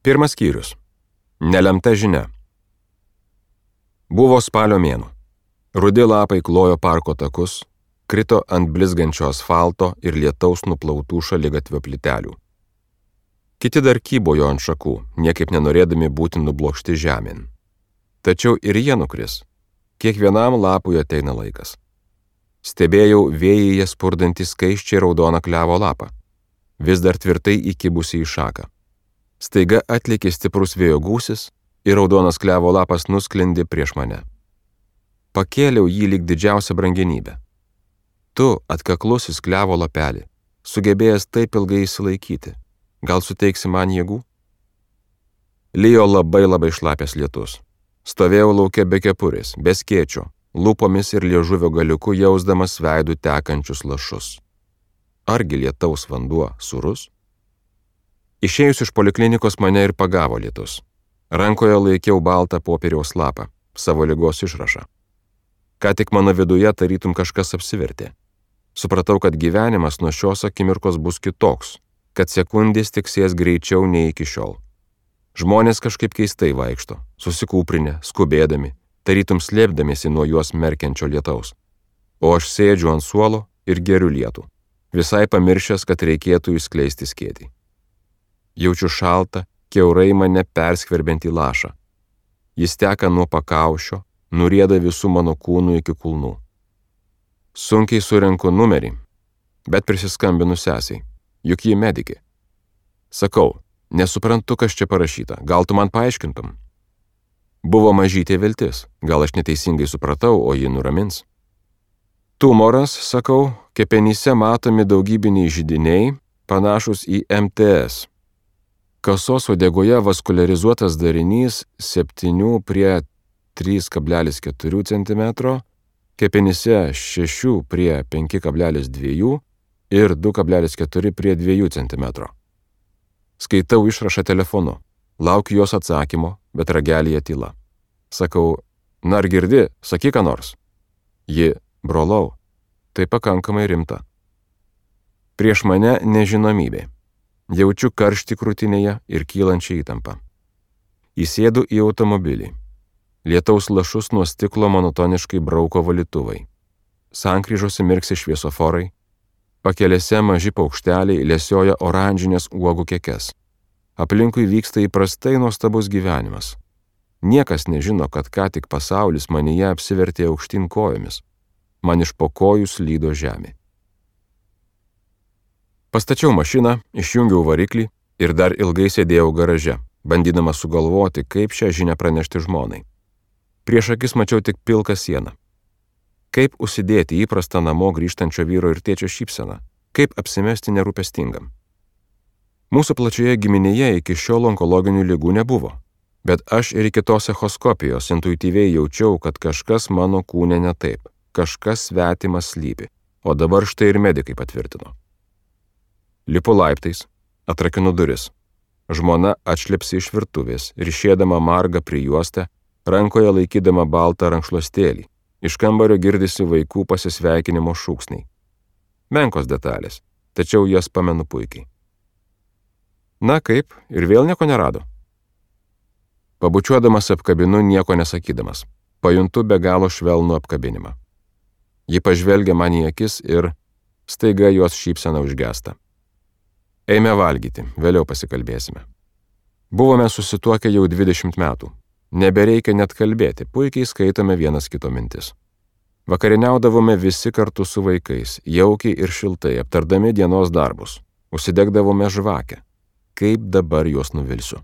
Pirmas skyrius. Nelemta žinia. Buvo spalio mėnuo. Rudi lapai klojo parko takus, krito ant blizgančio asfalto ir lietaus nuplautų šaligatvio plytelių. Kiti dar kybojo ant šakų, niekaip nenorėdami būti nublokšti žemėn. Tačiau ir jie nukris. Kiekvienam lapui ateina laikas. Stebėjau vėjyje spurdantį skaisčiai raudoną klevo lapą, vis dar tvirtai įkibusi į šaką. Staiga atlėkė stiprus vėjo gūsis ir raudonas klevo lapas nusklendė prieš mane. Pakėliau jį lyg didžiausią brangenybę. Tu, atkaklusis klevo lapelį, sugebėjęs taip ilgai išsilaikyti, gal suteiksi man jėgų? Lijo labai šlapias lietus. Stovėjau lauke be kepurės, be skėčio, lūpomis ir liežuvio galiuku jausdamas veidų tekančius lašus. Argi lietaus vanduo sūrus? Išėjus iš poliklinikos mane ir pagavo lietus. Rankoje laikiau baltą popieriaus lapą, savo ligos išrašą. Ką tik mano viduje tarytum kažkas apsivertė. Supratau, kad gyvenimas nuo šios akimirkos bus kitoks, kad sekundės tiksės greičiau nei iki šiol. Žmonės kažkaip keistai vaikšto, susikūprinę, skubėdami, tarytum slėpdamiesi nuo juos merkiančio lietaus. O aš sėdžiu ant suolo ir geriu lietų, visai pamiršęs, kad reikėtų išskleisti skėtį. Jaučiu šaltą, kiaurai mane perskverbiantį lašą. Jis teka nuo pakaušio, nurieda visų mano kūnų iki kulnų. Sunkiai surenku numerį, bet prisiskambinu sesiai, juk ji medikė. Sakau, nesuprantu, kas čia parašyta, gal tu man paaiškintum? Buvo mažytė viltis, gal aš neteisingai supratau, o ji nuramins. Tumoras, sakau, kepenyse matomi daugybiniai židiniai, panašus į MTS. Kasos uodegoje vaskularizuotas darinys 7 prie 3,4 cm, kepenyse 6 prie 5,2 ir 2,4 prie 2 cm. Skaitau išrašą telefonu, laukiu jos atsakymo, bet ragelyje tyla. Sakau, na ar girdi, sakyk ką nors. Ji, brolau, tai pakankamai rimta. Prieš mane nežinomybė. Jaučiu karštį krūtinėje ir kylančią įtampą. Įsėdu į automobilį. Lietaus lašus nuo stiklo monotoniškai brauko valytuvai. Sankryžose mirksi šviesoforai. Pakelėse maži paukšteliai lesioja oranžinės uogų kekes. Aplinkui vyksta įprastai nuostabus gyvenimas. Niekas nežino, kad ką tik pasaulis manyje apsivertė aukštyn kojomis. Man iš po kojų slydo žemė. Pastačiau mašiną, išjungiau variklį ir dar ilgai sėdėjau garaže, bandydamas sugalvoti, kaip šią žinią pranešti žmonai. Prieš akis mačiau tik pilką sieną. Kaip užsidėti įprastą namo grįžtančio vyro ir tėčio šypseną, kaip apsimesti nerūpestingam. Mūsų plačioje giminėje iki šiol onkologinių ligų nebuvo, bet aš ir iki tos echoskopijos intuityviai jaučiau, kad kažkas mano kūne ne taip, kažkas svetimas slypi, o dabar štai ir medikai patvirtino. Lipu laiptais, atrakinu duris. Žmona atšlepsi iš virtuvės, ryšėdama margą prijuostę, rankoje laikydama baltą rankšluostėlį. Iš kambario girdisi vaikų pasisveikinimo šūksniai. Menkos detalės, tačiau jas pamenu puikiai. Na kaip, ir vėl nieko nerado? Pabučiuodamas apkabinu nieko nesakydamas. Pajuntu be galo švelnų apkabinimą. Ji pažvelgia man į akis ir staiga jos šypsena užgęsta. Eime valgyti, vėliau pasikalbėsime. Buvome susituokę jau 20 metų. Nebereikia net kalbėti, puikiai skaitome vienas kito mintis. Vakarieniaudavome visi kartu su vaikais, jaukiai ir šiltai, aptardami dienos darbus. Užsidegdavome žvakę. Kaip dabar juos nuvilsiu?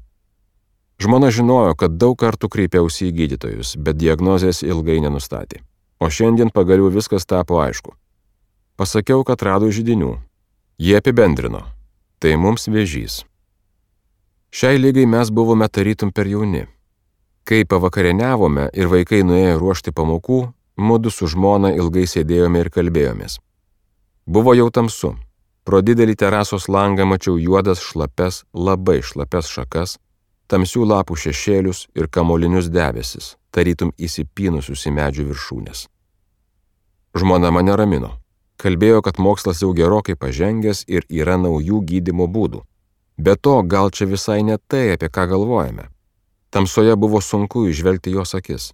Žmona žinojo, kad daug kartų kreipiausi į gydytojus, bet diagnozės ilgai nenustatė. O šiandien pagaliau viskas tapo aišku. Pasakiau, kad rado židinių. Jie apibendrino. Tai mums vėžys. Šiai ligai mes buvome tarytum per jauni. Kai pavakarieniavome ir vaikai nuėjo ruošti pamokų, mudu su žmona ilgai sėdėjome ir kalbėjomės. Buvo jau tamsu. Pro didelį terasos langą mačiau juodas šlapes, labai šlapes šakas, tamsių lapų šešėlius ir kamolinius debesis, tarytum įsipynusius į medžių viršūnės. Žmona mane ramino. Kalbėjo, kad mokslas jau gerokai pažengęs ir yra naujų gydymo būdų. Be to, gal čia visai ne tai, apie ką galvojame. Tamsoje buvo sunku įžvelgti jos akis.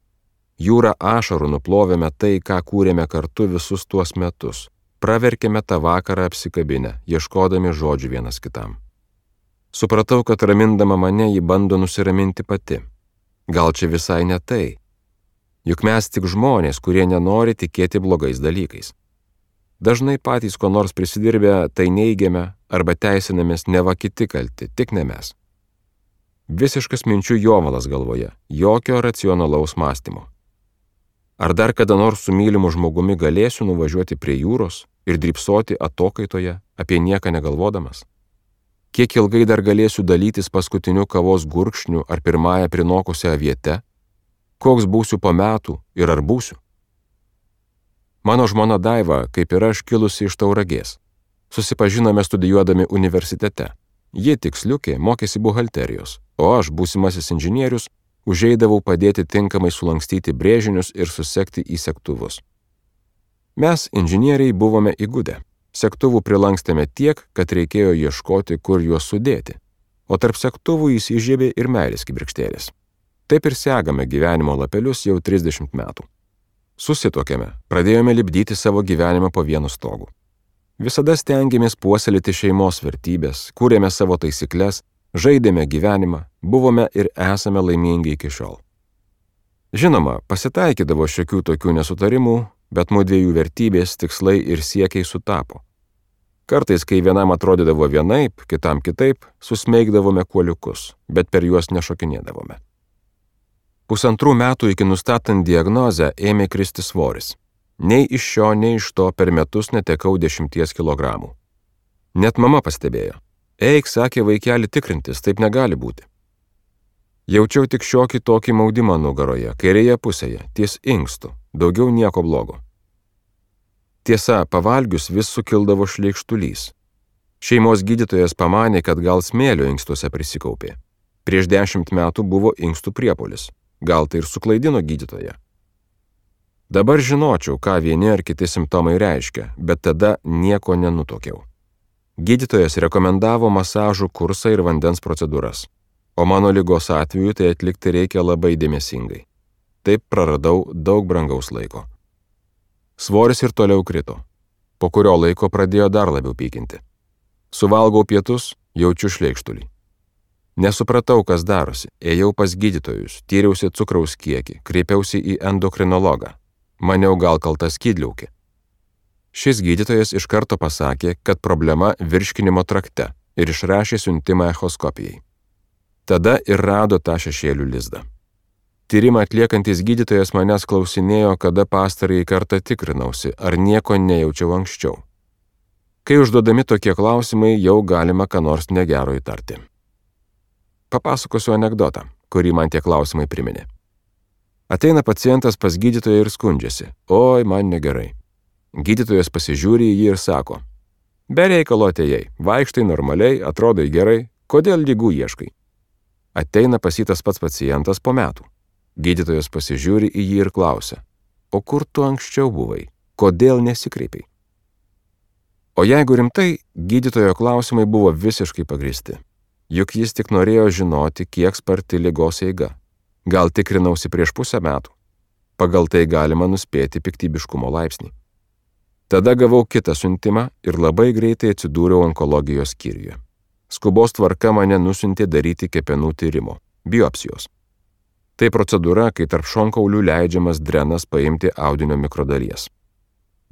Jūra ašarų nuplovėme tai, ką kūrėme kartu visus tuos metus. Praverkėme tą vakarą apsikabinę, ieškodami žodžių vienas kitam. Supratau, kad ramindama mane ji bando nusiraminti pati. Gal čia visai ne tai. Juk mes tik žmonės, kurie nenori tikėti blogais dalykais. Dažnai patys ko nors prisidirbę tai neigiame arba teisinamės neva kiti kalti, tik ne mes. Visiškas minčių jovalas galvoje, jokio racionalaus mąstymo. Ar dar kada nors su mylimu žmogumi galėsiu nuvažiuoti prie jūros ir drybsoti atokaitoje, apie nieką negalvodamas? Kiek ilgai dar galėsiu dalytis paskutiniu kavos gurkšniu ar pirmąją prinokusią aviete? Koks būsiu po metų ir ar būsiu? Mano žmona Daiva, kaip ir aš, kilusi iš Tauragės. Susipažinome studijuodami universitete. Ji tiksliukė mokėsi buhalterijos, o aš, būsimasis inžinierius, užeidavau padėti tinkamai sulankstyti brėžinius ir susekti į segtuvus. Mes, inžinieriai, buvome įgudę. Segtuvų prilankstėme tiek, kad reikėjo ieškoti, kur juos sudėti, o tarp segtuvų įsižiebė ir meilės kibirkštėlės. Taip ir segame gyvenimo lapelius jau 30 metų. Susituokėme, pradėjome lipdyti savo gyvenimą po vienu stogu. Visada stengiamės puoselėti šeimos vertybės, kūrėme savo taisyklės, žaidėme gyvenimą, buvome ir esame laimingi iki šiol. Žinoma, pasitaikydavo šiokių tokių nesutarimų, bet mūdviejų vertybės, tikslai ir siekiai sutapo. Kartais, kai vienam atrodydavo vienaip, kitam kitaip, susmeigdavome kuoliukus, bet per juos nešokinėdavome. 1,5 metų iki nustatant diagnozę ėmė kristi svoris. Nei iš šio, nei iš to per metus netekau 10 kilogramų. Net mama pastebėjo. Eik, sakė, vaikeli tikrintis, taip negali būti. Jaučiau tik šiokį tokį maudimą nugaroje, kairėje pusėje, ties inkstų, daugiau nieko blogo. Tiesa, pavalgius vis sukildavo šleikštulys. Šeimos gydytojas pamanė, kad gal smėlio inkstuose prisikaupė. Prieš 10 metų buvo inkstų priepuolis. Gal tai ir suklaidino gydytoją. Dabar žinočiau, ką vieni ar kiti simptomai reiškia, bet tada nieko nenutuokiau. Gydytojas rekomendavo masažų kursą ir vandens procedūras, o mano ligos atveju tai atlikti reikia labai dėmesingai. Taip praradau daug brangaus laiko. Svoris ir toliau krito. Po kurio laiko pradėjo dar labiau pykinti. Suvalgau pietus, jaučiu šleikštulį. Nesupratau, kas darosi. Ėjau pas gydytojus, tyriausi cukraus kiekį, kreipiausi į endokrinologą. Maniau, gal kalta skydliaukė. Šis gydytojas iš karto pasakė, kad problema virškinimo trakte ir išrašė siuntimą echoskopijai. Tada ir rado tą šešėlių lizdą. Tyrimą atliekantis gydytojas manęs klausinėjo, kada pastarąjį kartą tikrinausi, ar nieko nejaučiau anksčiau. Kai užduodami tokie klausimai, jau galima ką nors negero įtarti. Papasakosiu anekdotą, kurį man tie klausimai priminė. Ateina pacientas pas gydytoją ir skundžiasi. Oi, man negerai. Gydytojas pasižiūri į jį ir sako, be reikalo atėjai, vaikštai normaliai, atrodai gerai, kodėl ligų ieškai? Ateina pas jį tas pats pacientas po metų. Gydytojas pasižiūri į jį ir klausia, o kur tu anksčiau buvai, kodėl nesikreipiai? O jeigu rimtai, gydytojo klausimai buvo visiškai pagristi. Juk jis tik norėjo žinoti, kiek sparti ligos eiga. Gal tikrinausi prieš 0,5 metų. Pagal tai galima nuspėti piktybiškumo laipsnį. Tada gavau kitą siuntimą ir labai greitai atsidūriau onkologijos skyriuje. Skubos tvarka mane nusiuntė daryti kepenų tyrimo, biopsijos. Tai procedūra, kai tarp šonkaulių leidžiamas drenas paimti audinio mikrodalies.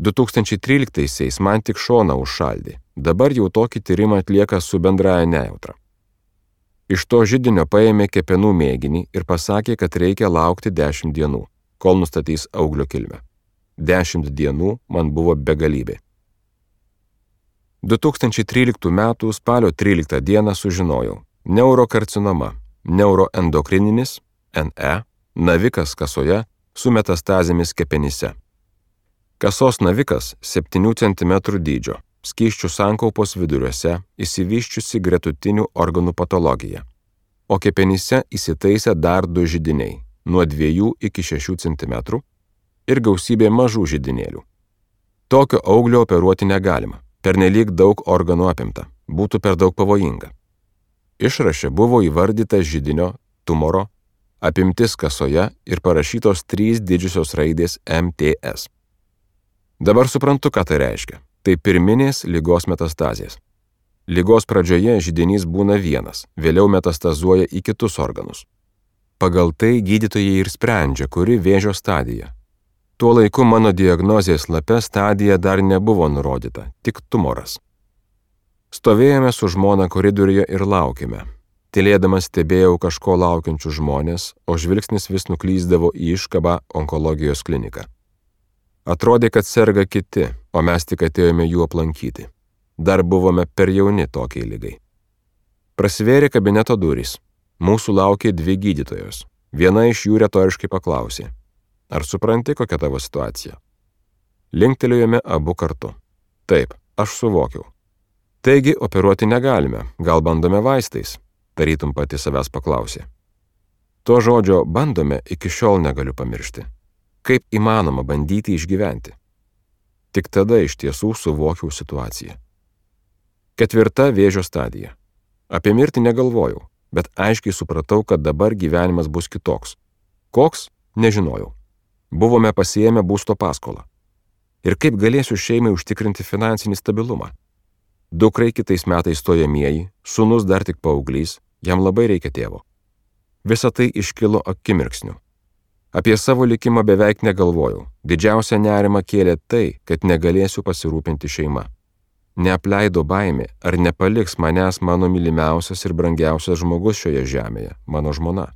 2013-aisiais man tik šoną užšaldė, dabar jau tokį tyrimą atlieka su bendraja nejautra. Iš to židinio paėmė kepenų mėginį ir pasakė, kad reikia laukti 10 dienų, kol nustatys auglio kilmę. 10 dienų man buvo begalybė. 2013 m. spalio 13 d. sužinojau neurokarcinoma, neuroendokrininis, NE, navikas kasoje su metastazėmis kepenyse. Kasos navikas 7 cm dydžio, skysčių sankaupos viduriuose, išsivysčiusi gretutinių organų patologija, o kepenyse įsitaisė dar 2 židiniai, nuo 2 iki 6 cm ir gausybė mažų židinėlių. Tokio auglio operuoti negalima, pernelyg daug organų apimta, būtų per daug pavojinga. Išraše buvo įvardyta židinio, tumoro, apimtis kasoje ir parašytos 3 didžiosios raidės MTS. Dabar suprantu, ką tai reiškia. Tai pirminės ligos metastazės. Ligos pradžioje židinys būna vienas, vėliau metastazuoja į kitus organus. Pagal tai gydytojai ir sprendžia, kuri vėžio stadija. Tuo laiku mano diagnozės lape stadija dar nebuvo nurodyta, tik tumoras. Stovėjome su žmona koridoriuje ir laukėme. Tylėdamas stebėjau kažko laukiančius žmonės, o žvilgsnis vis nuklyzdavo į iškabą onkologijos kliniką. Atrodė, kad serga kiti, o mes tik atėjome jų aplankyti. Dar buvome per jauni tokiai ligai. Prasivėrė kabineto durys. Mūsų laukė 2 gydytojos. Viena iš jų retoriškai paklausė: ar supranti, kokia tavo situacija? Linktelėjome abu kartu. Taip, aš suvokiau. Taigi, operuoti negalime, gal bandome vaistais, tarytum pati savęs paklausė. To žodžio bandome iki šiol negaliu pamiršti. Kaip įmanoma bandyti išgyventi? Tik tada iš tiesų suvokiau situaciją. 4. vėžio stadija. Apie mirtį negalvojau, bet aiškiai supratau, kad dabar gyvenimas bus kitoks. Koks? Nežinojau. Buvome pasiėmę būsto paskolą. Ir kaip galėsiu šeimai užtikrinti finansinį stabilumą? Dukrai kitais metais stojamieji, sūnus dar tik paauglys, jam labai reikia tėvo. Visa tai iškilo akimirksniu. Apie savo likimą beveik negalvojau. Didžiausia nerima kėlė tai, kad negalėsiu pasirūpinti šeima. Neapleido baimė, ar nepaliks manęs mano mylimiausias ir brangiausias žmogus šioje žemėje, mano žmona.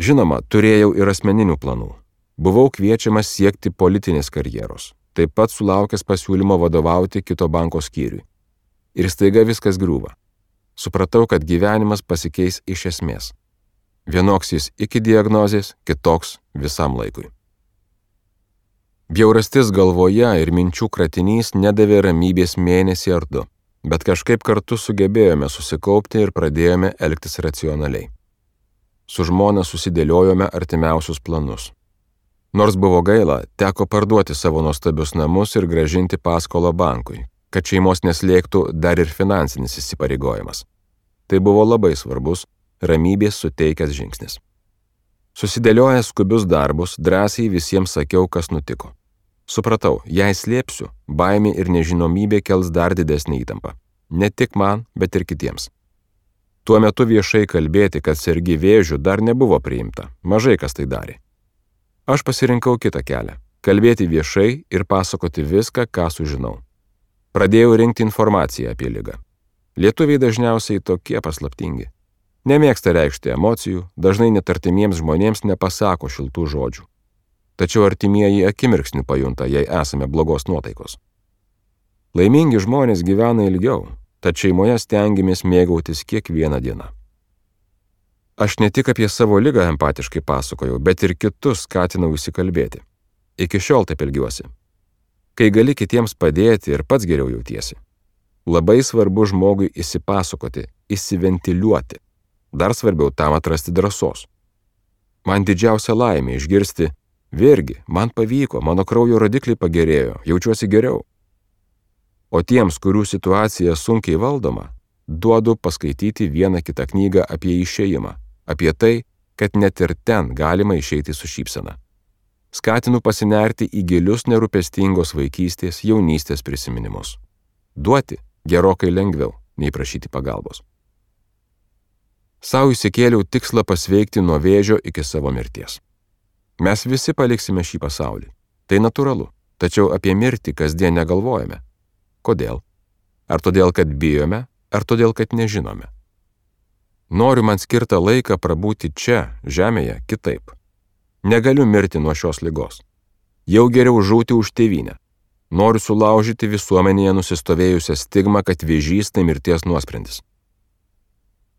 Žinoma, turėjau ir asmeninių planų. Buvau kviečiamas siekti politinės karjeros, taip pat sulaukęs pasiūlymo vadovauti kito banko skyriui. Ir staiga viskas griūva. Supratau, kad gyvenimas pasikeis iš esmės. Vienoks jis iki diagnozės, kitoks visam laikui. Bjaurastis galvoje ir minčių kratinys nedavė ramybės mėnesį ar 2, bet kažkaip kartu sugebėjome susikaupti ir pradėjome elgtis racionaliai. Su žmona susidėliojome artimiausius planus. Nors buvo gaila, teko parduoti savo nuostabius namus ir grąžinti paskolą bankui, kad šeimos neslėgtų dar ir finansinis įsipareigojimas. Tai buvo labai svarbus, ramybės suteikęs žingsnis. Susidėliojęs skubius darbus, drąsiai visiems sakiau, kas nutiko. Supratau, jei slėpsiu, baimė ir nežinomybė kels dar didesnį įtampą. Ne tik man, bet ir kitiems. Tuo metu viešai kalbėti, kad sergi vėžiu, dar nebuvo priimta. Mažai kas tai darė. Aš pasirinkau kitą kelią – kalbėti viešai ir pasakoti viską, ką sužinau. Pradėjau rinkti informaciją apie ligą. Lietuviai dažniausiai tokie paslaptingi. Nemėgsta reikšti emocijų, dažnai net artimiems žmonėms nepasako šiltų žodžių. Tačiau artimieji akimirksniu pajunta, jei esame blogos nuotaikos. Laimingi žmonės gyvena ilgiau, tad šeimoje stengiamės mėgautis kiekvieną dieną. Aš ne tik apie savo ligą empatiškai pasakojau, bet ir kitus skatinau įsikalbėti. Iki šiol taip elgiuosi. Kai gali kitiems padėti ir pats geriau jautiesi. Labai svarbu žmogui įsipasakoti, įsiventiliuoti. Dar svarbiau tam atrasti drąsos. Man didžiausia laimė išgirsti: vėrgi, man pavyko, mano kraujo rodikliai pagerėjo, jaučiuosi geriau. O tiems, kurių situacija sunkiai valdoma, duodu paskaityti vieną kitą knygą apie išėjimą, apie tai, kad net ir ten galima išeiti su šypsena. Skatinu pasinerti į gilius nerūpestingos vaikystės, jaunystės prisiminimus. Duoti gerokai lengviau, nei prašyti pagalbos. Sau įsikėliau tikslą pasveikti nuo vėžio iki savo mirties. Mes visi paliksime šį pasaulį. Tai natūralu, tačiau apie mirtį kasdien negalvojame. Kodėl? Ar todėl, kad bijome, ar todėl, kad nežinome? Noriu man skirtą laiką prabūti čia, žemėje, kitaip. Negaliu mirti nuo šios ligos. Jau geriau žūti už tėvynę. Noriu sulaužyti visuomenėje nusistovėjusią stigmą, kad vėžys tai mirties nuosprendis.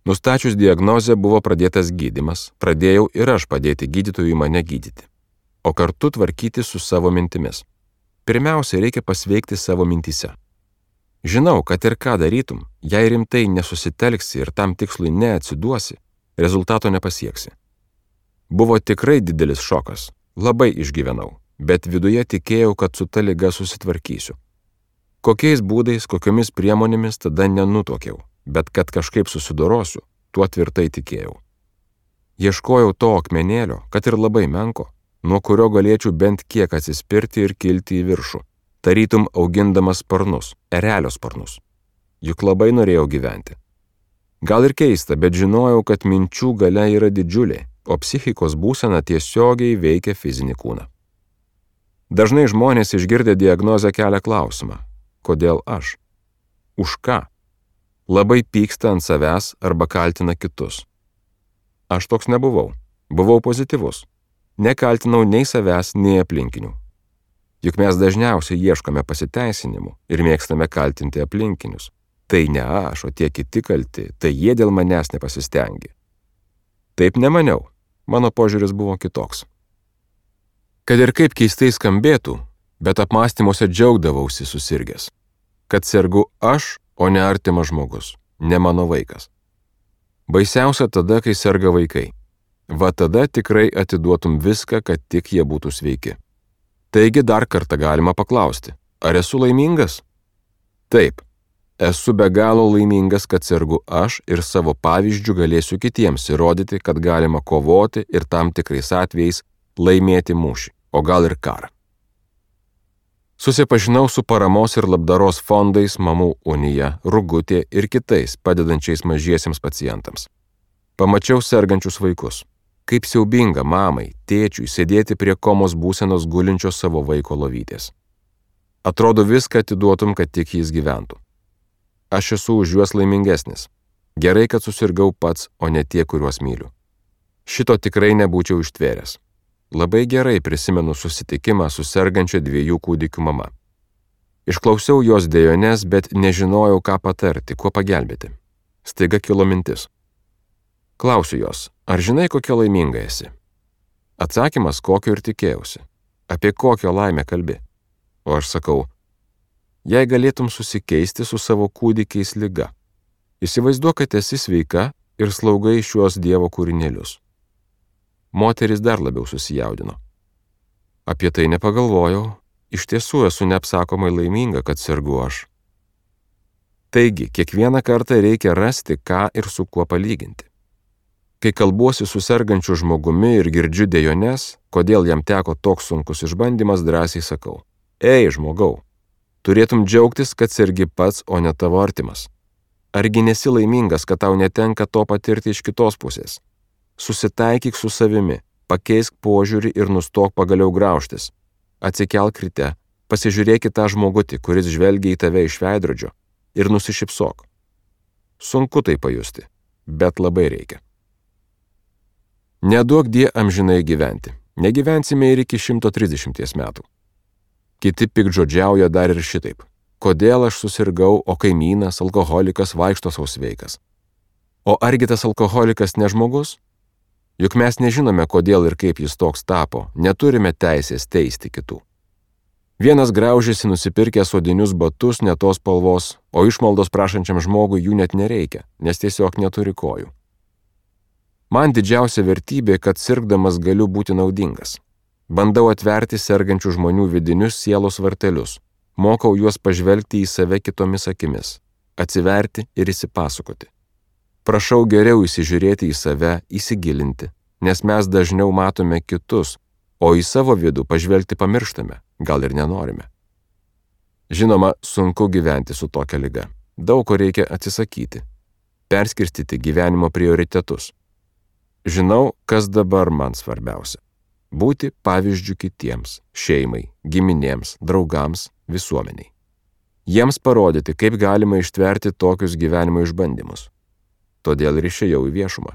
Nustačius diagnozę buvo pradėtas gydymas, pradėjau ir aš padėti gydytojui mane gydyti, o kartu tvarkyti su savo mintimis. Pirmiausia, reikia pasveikti savo mintyse. Žinau, kad ir ką darytum, jei rimtai nesusitelksi ir tam tikslui neatsiduosi, rezultato nepasieksi. Buvo tikrai didelis šokas, labai išgyvenau, bet viduje tikėjau, kad su ta liga susitvarkysiu. Kokiais būdais, kokiomis priemonėmis tada nenutuokiau, bet kad kažkaip susidorosiu, tuo tvirtai tikėjau. Ieškojau to akmenėlio, kad ir labai menko, nuo kurio galėčiau bent kiek atsispirti ir kilti į viršų, tarytum augindamas sparnus, erelio sparnus. Juk labai norėjau gyventi. Gal ir keista, bet žinojau, kad minčių galia yra didžiulė, o psichikos būsena tiesiogiai veikia fizinį kūną. Dažnai žmonės išgirdę diagnozę kelia klausimą: kodėl aš? Už ką? Labai pyksta ant savęs arba kaltina kitus. Aš toks nebuvau. Buvau pozityvus. Nekaltinau nei savęs, nei aplinkinių. Juk mes dažniausiai ieškome pasiteisinimų ir mėgstame kaltinti aplinkinius. Tai ne aš, o tie kiti kalti, tai jie dėl manęs nepasistengė. Taip nemaniau. Mano požiūris buvo kitoks. Kad ir kaip keistai skambėtų, bet apmąstymuose džiaugdavausi susirgęs. Kad sergu aš, o ne artimas žmogus, ne mano vaikas. Baisiausia tada, kai serga vaikai. Va tada tikrai atiduotum viską, kad tik jie būtų sveiki. Taigi dar kartą galima paklausti, ar esu laimingas? Taip, esu be galo laimingas, kad sergu aš ir savo pavyzdžių galėsiu kitiems įrodyti, kad galima kovoti ir tam tikrais atvejais laimėti mūšį, o gal ir karą. Susipažinau su paramos ir labdaros fondais Mamų unija, Rugutė ir kitais padedančiais mažiesiems pacientams. Pamačiau sergančius vaikus. Kaip siaubinga mamai, tėčiui sėdėti prie komos būsenos gulinčios savo vaiko lovytės. Atrodo viską atiduotum, kad tik jis gyventų. Aš esu už juos laimingesnis. Gerai, kad susirgau pats, o ne tie, kuriuos myliu. Šito tikrai nebūčiau ištvėręs. Labai gerai prisimenu susitikimą su sergančia 2 kūdikių mama. Išklausiau jos dejones, bet nežinojau, ką patarti, kuo pagelbėti. Staiga kilo mintis. Klausiu jos, ar žinai, kokia laiminga esi? Atsakymas, kokio ir tikėjausi. Apie kokią laimę kalbi? O aš sakau, jei galėtum susikeisti su savo kūdikiais liga. Įsivaizduok, kad esi sveika ir slaugai šiuos Dievo kūrinėlius. Moteris dar labiau susijaudino. Apie tai nepagalvojau, iš tiesų esu neapsakomai laiminga, kad sergu aš. Taigi, kiekvieną kartą reikia rasti, ką ir su kuo palyginti. Kai kalbuosi su sergančiu žmogumi ir girdžiu dejones, kodėl jam teko toks sunkus išbandymas, drąsiai sakau, ei, žmogau, turėtum džiaugtis, kad sergi pats, o ne tavo artimas. Argi nesi laimingas, kad tau netenka to patirti iš kitos pusės? Susitaikyk su savimi, pakeisk požiūrį ir nustok pagaliau graužtis. Atsikelk ryte, pasižiūrėk į tą žmogutį, kuris žvelgia į tave iš veidrodžio ir nusišypsok. Sunku tai pajusti, bet labai reikia. Neduok die amžinai gyventi. Negyvensime ir iki 130 metų. Kiti piktžodžiauja dar ir šitaip. Kodėl aš susirgau, o kaimynas, alkoholikas vaikšto sau sveikas? O argi tas alkoholikas ne žmogus? Juk mes nežinome, kodėl ir kaip jis toks tapo, neturime teisės teisti kitų. Vienas graužiasi nusipirkęs odinius batus ne tos spalvos, o išmaldos prašančiam žmogui jų net nereikia, nes tiesiog neturi kojų. Man didžiausia vertybė, kad sirgdamas galiu būti naudingas. Bandau atverti sergančių žmonių vidinius sielos vartelius, mokau juos pažvelgti į save kitomis akimis, atsiverti ir įsipasakoti. Prašau geriau įsižiūrėti į save, įsigilinti, nes mes dažniau matome kitus, o į savo vidų pažvelgti pamirštame, gal ir nenorime. Žinoma, sunku gyventi su tokia liga. Daug ko reikia atsisakyti, perskirstyti gyvenimo prioritetus. Žinau, kas dabar man svarbiausia. Būti pavyzdžiu kitiems, šeimai, giminėms, draugams, visuomeniai. Jiems parodyti, kaip galima ištverti tokius gyvenimo išbandymus. Todėl ir išėjau į viešumą.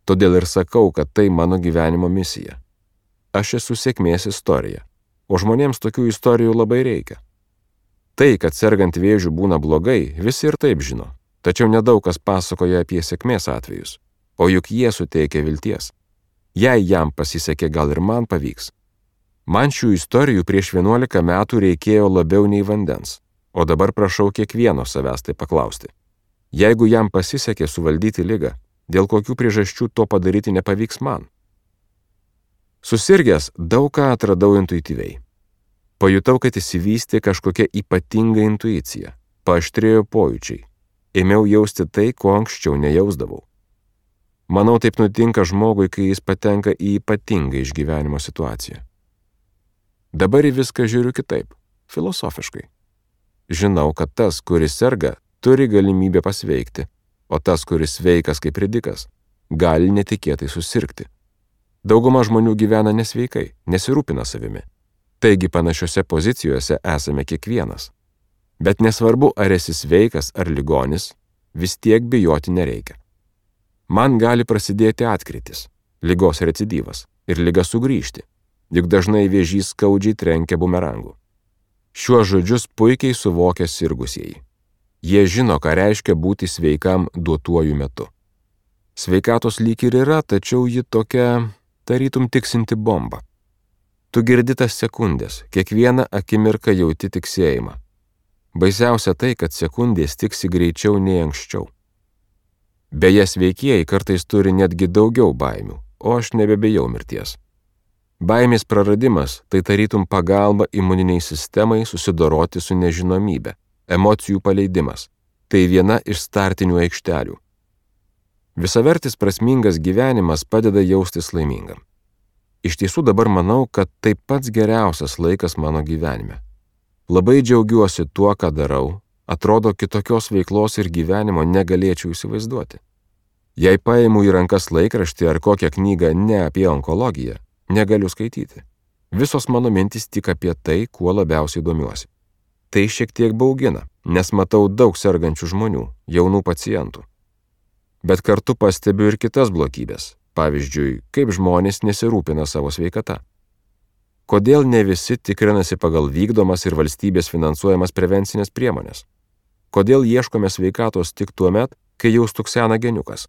Todėl ir sakau, kad tai mano gyvenimo misija. Aš esu sėkmės istorija, o žmonėms tokių istorijų labai reikia. Tai, kad sergant vėžiu būna blogai, visi ir taip žino, tačiau nedaug kas pasakoja apie sėkmės atvejus, o juk jie suteikia vilties. Jei jam pasisekė, gal ir man pavyks. Man šių istorijų prieš 11 metų reikėjo labiau nei vandens, o dabar prašau kiekvieno savęs tai paklausti. Jeigu jam pasisekė suvaldyti ligą, dėl kokių priežasčių to padaryti nepavyks man? Susirgęs daug ką atradau intuityviai. Pajutau, kad įsivystė kažkokia ypatinga intuicija, paaštrėjo pojūčiai. Ėmiau jausti tai, ko anksčiau nejausdavau. Manau, taip nutinka žmogui, kai jis patenka į ypatingą išgyvenimo situaciją. Dabar į viską žiūriu kitaip, filosofiškai. Žinau, kad tas, kuris serga, turi galimybę pasveikti, o tas, kuris sveikas kaip ridikas, gali netikėtai susirgti. Dauguma žmonių gyvena nesveikai, nesirūpina savimi. Taigi panašiose pozicijose esame kiekvienas. Bet nesvarbu, ar esi sveikas ar ligonis, vis tiek bijoti nereikia. Man gali prasidėti atkrytis, ligos recidyvas ir liga sugrįžti, juk dažnai vėžys skaudžiai trenkia bumerangu. Šiuos žodžius puikiai suvokia sirgusieji. Jie žino, ką reiškia būti sveikam duotuoju metu. Sveikatos lyg ir yra, tačiau ji tokia, tarytum tiksinti bomba. Tu girdi tas sekundės, kiekvieną akimirką jauti tiksėjimą. Baisiausia tai, kad sekundės tiksi greičiau nei anksčiau. Beje, sveikieji kartais turi netgi daugiau baimių, o aš nebebijau mirties. Baimės praradimas tai tarytum pagalba imuniniai sistemai susidoroti su nežinomybe, emocijų paleidimas. Tai viena iš startinių aikštelių. Visavertis prasmingas gyvenimas padeda jaustis laimingam. Iš tiesų dabar manau, kad tai pats geriausias laikas mano gyvenime. Labai džiaugiuosi tuo, ką darau, atrodo kitokios veiklos ir gyvenimo negalėčiau įsivaizduoti. Jei paimu į rankas laikraštį ar kokią knygą ne apie onkologiją, negaliu skaityti. Visos mano mintys tik apie tai, kuo labiausiai domiuosi. Tai šiek tiek baugina, nes matau daug sergančių žmonių, jaunų pacientų. Bet kartu pastebiu ir kitas blogybės, pavyzdžiui, kaip žmonės nesirūpina savo sveikata. Kodėl ne visi tikrinasi pagal vykdomas ir valstybės finansuojamas prevencinės priemonės? Kodėl ieškome sveikatos tik tuo met, kai jau stuksena geniukas?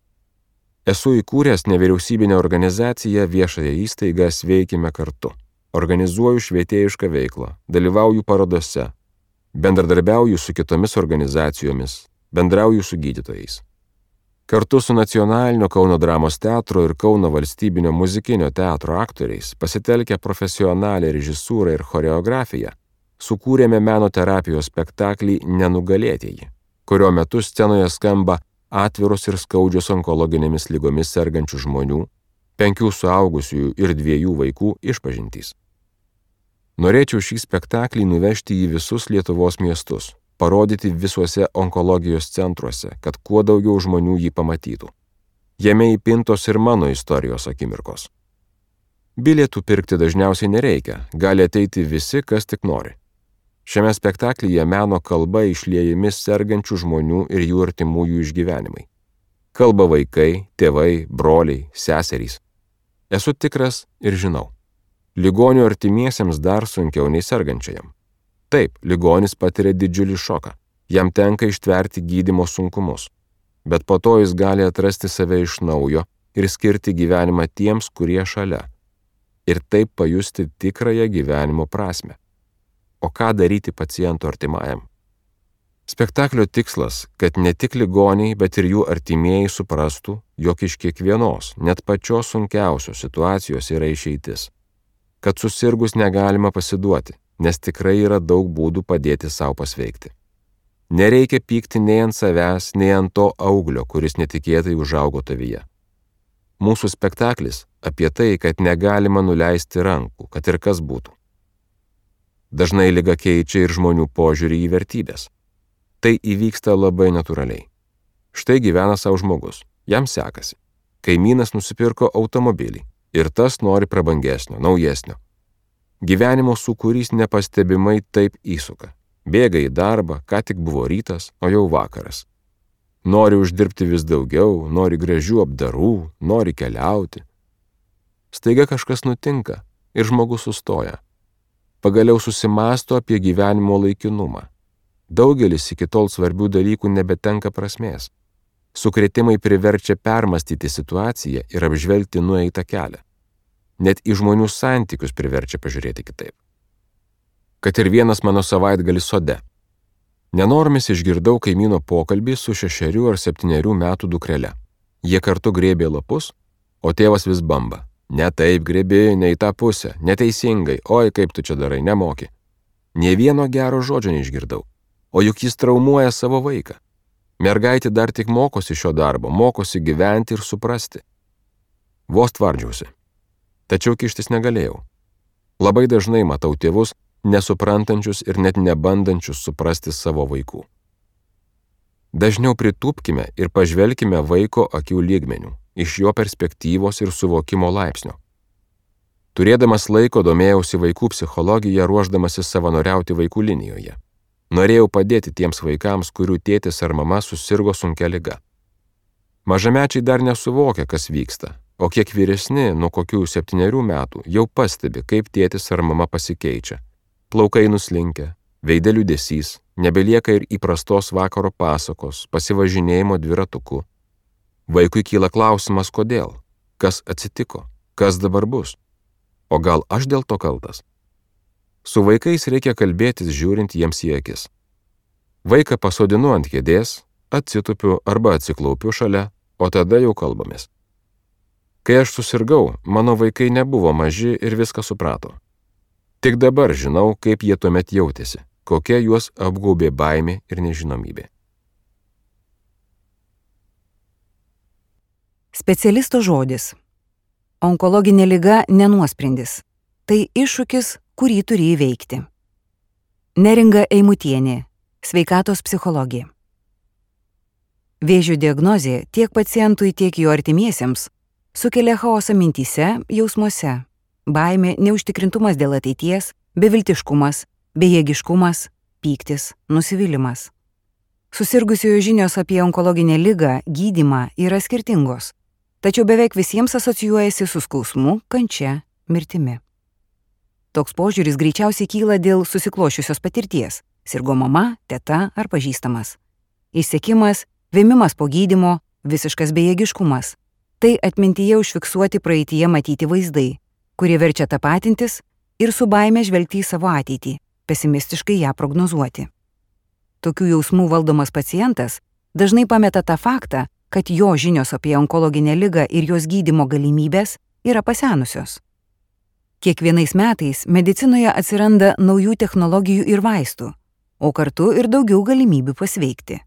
Esu įkūręs nevyriausybinę organizaciją viešąją įstaigą Sveikime kartu. Organizuoju švietėjišką veiklą, dalyvauju parodose, bendradarbiauju su kitomis organizacijomis, bendrauju su gydytojais. Kartu su Nacionalinio Kauno dramos teatro ir Kauno valstybinio muzikinio teatro aktoriais, pasitelkę profesionalią režisūrą ir choreografiją, sukūrėme meno terapijos spektaklį Nenugalėtieji, kurio metu scenoje skamba atviros ir skaudžios onkologinėmis ligomis sergančių žmonių, 5 suaugusiųjų ir 2 vaikų išpažintys. Norėčiau šį spektaklį nuvežti į visus Lietuvos miestus, parodyti visuose onkologijos centruose, kad kuo daugiau žmonių jį pamatytų. Jame įpintos ir mano istorijos akimirkos. Bilietų pirkti dažniausiai nereikia, gali ateiti visi, kas tik nori. Šiame spektaklyje meno kalba išliejami sergančių žmonių ir jų artimųjų išgyvenimai. Kalba vaikai, tėvai, broliai, seserys. Esu tikras ir žinau. Ligonių artimiesiems dar sunkiau nei sergančiajam. Taip, ligonis patiria didžiulį šoką. Jam tenka ištverti gydymo sunkumus. Bet po to jis gali atrasti save iš naujo ir skirti gyvenimą tiems, kurie šalia. Ir taip pajusti tikrąją gyvenimo prasmę. O ką daryti paciento artimajam? Spektaklio tikslas, kad ne tik ligoniai, bet ir jų artimieji suprastų, jog iš kiekvienos, net pačios sunkiausios situacijos yra išeitis. Kad susirgus negalima pasiduoti, nes tikrai yra daug būdų padėti savo pasveikti. Nereikia pykti nei ant savęs, nei ant to auglio, kuris netikėtai užaugo tavyje. Mūsų spektaklis apie tai, kad negalima nuleisti rankų, kad ir kas būtų. Dažnai liga keičia ir žmonių požiūrį į vertybės. Tai įvyksta labai natūraliai. Štai gyvena savo žmogus, jam sekasi. Kaimynas nusipirko automobilį ir tas nori prabangesnio, naujesnio. Gyvenimo sūkurys nepastebimai taip įsuka. Bėga į darbą, ką tik buvo rytas, o jau vakaras. Nori uždirbti vis daugiau, nori gražių apdarų, nori keliauti. Staiga kažkas nutinka ir žmogus sustoja. Pagaliau susimąsto apie gyvenimo laikinumą. Daugelis iki tol svarbių dalykų nebetenka prasmės. Sukrėtimai priverčia permastyti situaciją ir apžvelgti nueitą kelią. Net į žmonių santykius priverčia pažiūrėti kitaip. Kad ir vienas mano savaitgalis sode. Nenoromis išgirdau kaimyno pokalbį su 6 ar 7 metų dukrele. Jie kartu grėbė lapus, o tėvas vis bamba. Ne taip grėbi, ne į tą pusę, neteisingai, oi kaip tu čia darai, nemoki. Nė vieno gero žodžio neišgirdau, o juk jis traumuoja savo vaiką. Mergaitė dar tik mokosi šio darbo, mokosi gyventi ir suprasti. Vos tvardžiausi. Tačiau kištis negalėjau. Labai dažnai matau tėvus, nesuprantančius ir net nebandančius suprasti savo vaikų. Dažniau pritūpkime ir pažvelkime vaiko akių lygmenių, iš jo perspektyvos ir suvokimo laipsnio. Turėdamas laiko domėjausi vaikų psichologiją, ruošdamasi savanoriauti vaikų linijoje. Norėjau padėti tiems vaikams, kurių tėtis ar mama susirgo sunkia liga. Mažamečiai dar nesuvokia, kas vyksta, o kiek vyresni, nuo kokių 7 metų, jau pastebi, kaip tėtis ar mama pasikeičia. Plaukai nuslinkę, veide liūdesys, nebelieka ir įprastos vakaro pasakos, pasivažinėjimo dviratuku. Vaikui kyla klausimas, kodėl, kas atsitiko, kas dabar bus, o gal aš dėl to kaltas. Su vaikais reikia kalbėtis žiūrint jiems į akis. Vaiką pasodinu ant kėdės, atsitupiu arba atsiklaupiu šalia, o tada jau kalbamės. Kai aš susirgau, mano vaikai nebuvo maži ir viską suprato. Tik dabar žinau, kaip jie tuomet jautėsi, kokia juos apgaubė baimė ir nežinomybė. Specialisto žodis. Onkologinė liga nenuosprendis. Tai iššūkis, kurį turi įveikti. Neringa Eimutienė, sveikatos psichologė. Vėžio diagnozė tiek pacientui, tiek jo artimiesiems sukelia chaosą mintyse, jausmuose, baimė, neužtikrintumas dėl ateities, beviltiškumas, bejėgiškumas, pyktis, nusivylimas. Susirgusiojo žinios apie onkologinę ligą, gydymą yra skirtingos, tačiau beveik visiems asocijuojasi su skausmu, kančia, mirtimi. Toks požiūris greičiausiai kyla dėl susiklošiusios patirties – sirgo mama, teta ar pažįstamas. Išsekimas, vėmimas po gydymo, visiškas bejėgiškumas. Tai atmintyje užfiksuoti praeityje matyti vaizdai, kurie verčia tapatintis ir su baime žvelgti į savo ateitį, pesimistiškai ją prognozuoti. Tokių jausmų valdomas pacientas dažnai pameta tą faktą, kad jo žinios apie onkologinę ligą ir jos gydymo galimybės yra pasenusios. Kiekvienais metais medicinoje atsiranda naujų technologijų ir vaistų, o kartu ir daugiau galimybių pasveikti.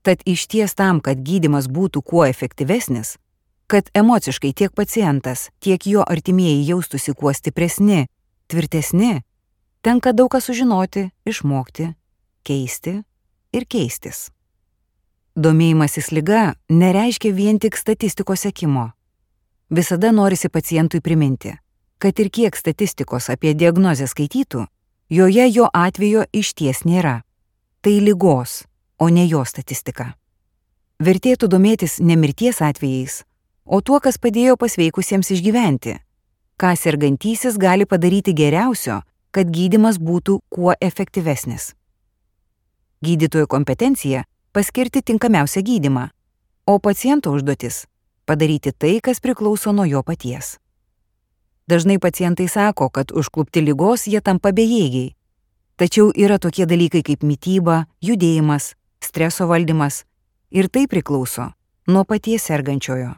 Tad išties tam, kad gydymas būtų kuo efektyvesnis, kad emociškai tiek pacientas, tiek jo artimieji jaustųsi kuo stipresni, tvirtesni, tenka daug ką sužinoti, išmokti, keisti ir keistis. Domėjimasis liga nereiškia vien tik statistikos sekimo. Visada norisi pacientui priminti, kad ir kiek statistikos apie diagnozę skaitytų, joje jo atvejo išties nėra. Tai ligos, o ne jo statistika. Vertėtų domėtis ne mirties atvejais, o tuo, kas padėjo pasveikusiems išgyventi, ką sergantysis gali padaryti geriausio, kad gydymas būtų kuo efektyvesnis. Gydytojo kompetencija – paskirti tinkamiausią gydymą, o paciento užduotis – padaryti tai, kas priklauso nuo jo paties. Dažnai pacientai sako, kad užklupti ligos jie tampa bejėgiai. Tačiau yra tokie dalykai kaip mityba, judėjimas, streso valdymas ir tai priklauso nuo paties sergančiojo.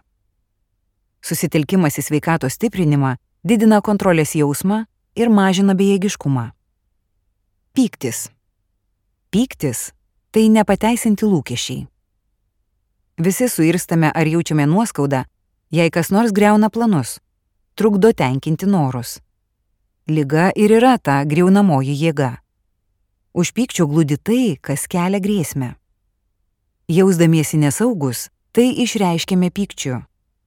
Susitelkimas į sveikatos stiprinimą didina kontrolės jausmą ir mažina bejėgiškumą. Pyktis. Pyktis – tai nepateisinti lūkesčiai. Visi suirstame ar jaučiame nuoskaudą, jei kas nors griauna planus, trukdo tenkinti norus. Liga ir yra ta griaunamoji jėga. Už pykčio glūdi tai, kas kelia grėsmę. Jausdamiesi nesaugus, tai išreiškiame pykčiu.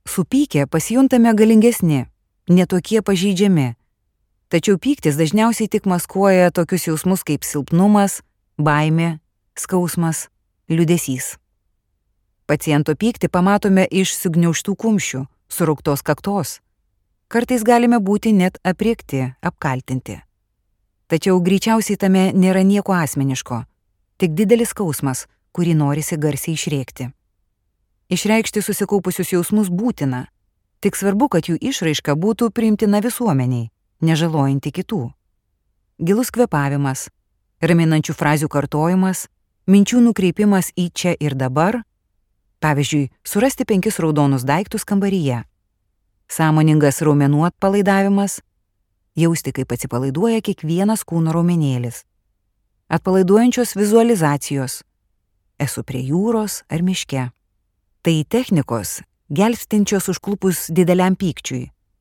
Supykę pasijuntame galingesni, netokie pažeidžiami. Tačiau pyktis dažniausiai tik maskuoja tokius jausmus kaip silpnumas, baimė, skausmas, liūdesys. Paciento pyktį pamatome iš sugniaužtų kumščių, surauktos kaktos. Kartais galime būti net apriekti, apkaltinti. Tačiau greičiausiai tame nėra nieko asmeniško, tik didelis skausmas, kurį norisi garsiai išrėkti. Išreikšti susikaupusius jausmus būtina, tik svarbu, kad jų išraiška būtų priimtina visuomeniai, nežalojanti kitų. Gilus kvėpavimas, raminančių frazių kartojimas, minčių nukreipimas į čia ir dabar, pavyzdžiui, surasti 5 raudonus daiktus kambaryje. Sąmoningas raumenų atpalaidavimas, jausti, kaip atsipalaiduoja kiekvienas kūno raumenėlis. Atpalaiduojančios vizualizacijos, esu prie jūros ar miške. Tai technikos, gelbstinčios užklupus dideliam pykčiui,